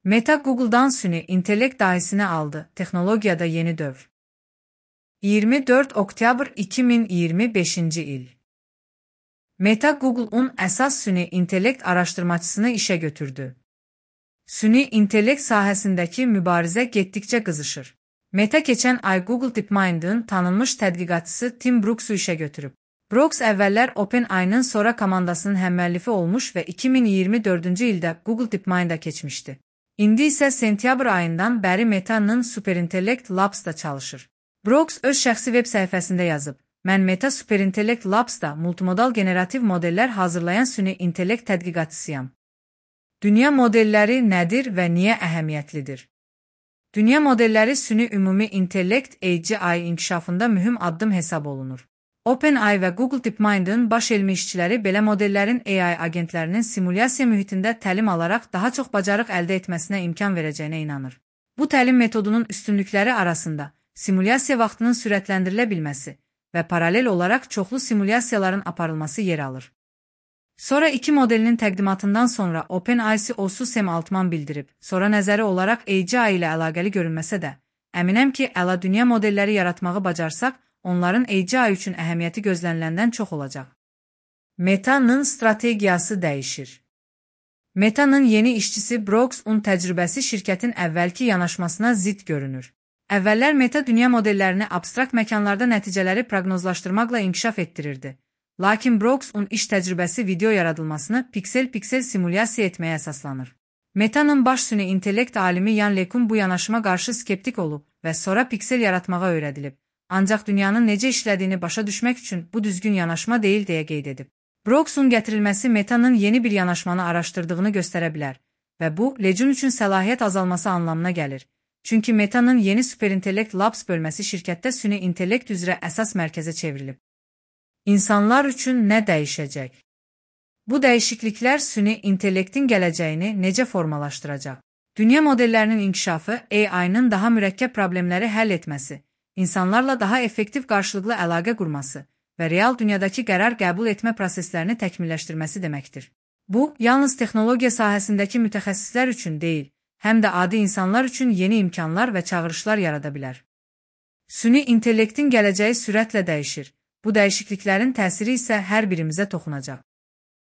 Meta Google'dan süni intellekt dahisini aldı. Texnologiyada yeni dövr. 24 oktyabr 2025 il. Meta Google'un əsas süni intellekt araşdırmacısını işə götürdü. Süni intellekt sahəsindəki mübarizə getdikcə qızışır. Meta keçən ay Google DeepMind'ın tanınmış tədqiqatçısı Tim Brooks'u işə götürüb. Brooks əvvəllər OpenAI'nın Sora komandasının həmməllifi olmuş və 2024-cü ildə Google DeepMind'a keçmişdi. İndi isə sentyabr ayından bəri Meta'nın Superintellect Labs'da çalışır. Brooks öz şəxsi web səhifəsində yazıb, mən Meta Superintellect Labs'da multimodal generativ modellər hazırlayan süni intellekt tədqiqatçısıyam. Dünya modelləri nədir və niyə əhəmiyyətlidir? Dünya modelləri süni ümumi intellekt AGI inkişafında mühüm addım hesab olunur. OpenAI və Google DeepMind'ın baş elmi işçiləri belə modellərin AI agentlərinin simulyasiya mühitində təlim alaraq daha çox bacarıq əldə etməsinə imkan verəcəyinə inanır. Bu təlim metodunun üstünlükləri arasında simulyasiya vaxtının sürətləndirilə bilməsi və paralel olaraq çoxlu simulyasiyaların aparılması yer alır. Sora 2 modelinin təqdimatından sonra OpenAI CEO-su Sam Altman bildirib, Sora nəzəri olaraq AGI ilə əlaqəli görünməsə də, əminəm ki, əla dünya modelləri yaratmağı bacarsaq, onların AGI üçün əhəmiyyəti gözləniləndən çox olacaq. Meta'nın strategiyası dəyişir. Meta'nın yeni işçisi Brooks'un təcrübəsi şirkətin əvvəlki yanaşmasına zidd görünür. Əvvəllər Meta dünya modellərini abstrakt məkanlarda nəticələri proqnozlaşdırmaqla inkişaf etdirirdi. Lakin Brooks'un iş təcrübəsi video yaradılmasını piksel-piksel simulyasiya etməyə əsaslanır. Meta'nın baş süni intellekt alimi Yan LeCun bu yanaşıma qarşı skeptik olub və sonra piksel yaratmağa öyrədilib. Ancaq dünyanın necə işlədiyini başa düşmək üçün bu düzgün yanaşma deyil deyə qeyd edib. Brooks'un gətirilməsi Meta'nın yeni bir yanaşmanı araşdırdığını göstərə bilər və bu, LeCun üçün səlahiyyət azalması anlamına gəlir. Çünki Meta'nın yeni Superintellect Labs bölməsi şirkətdə süni intellekt üzrə əsas mərkəzə çevrilib. İnsanlar üçün nə dəyişəcək? Bu dəyişikliklər süni intellektin gələcəyini necə formalaşdıracaq? Dünya modellərinin inkişafı, AI-nın daha mürəkkəb problemləri həll etməsi, insanlarla daha effektiv qarşılıqlı əlaqə qurması və real dünyadakı qərar qəbul etmə proseslərini təkmilləşdirməsi deməkdir. Bu, yalnız texnologiya sahəsindəki mütəxəssislər üçün deyil, həm də adi insanlar üçün yeni imkanlar və çağırışlar yarada bilər. Süni intellektin gələcəyi sürətlə dəyişir. Bu dəyişikliklərin təsiri isə hər birimizə toxunacaq.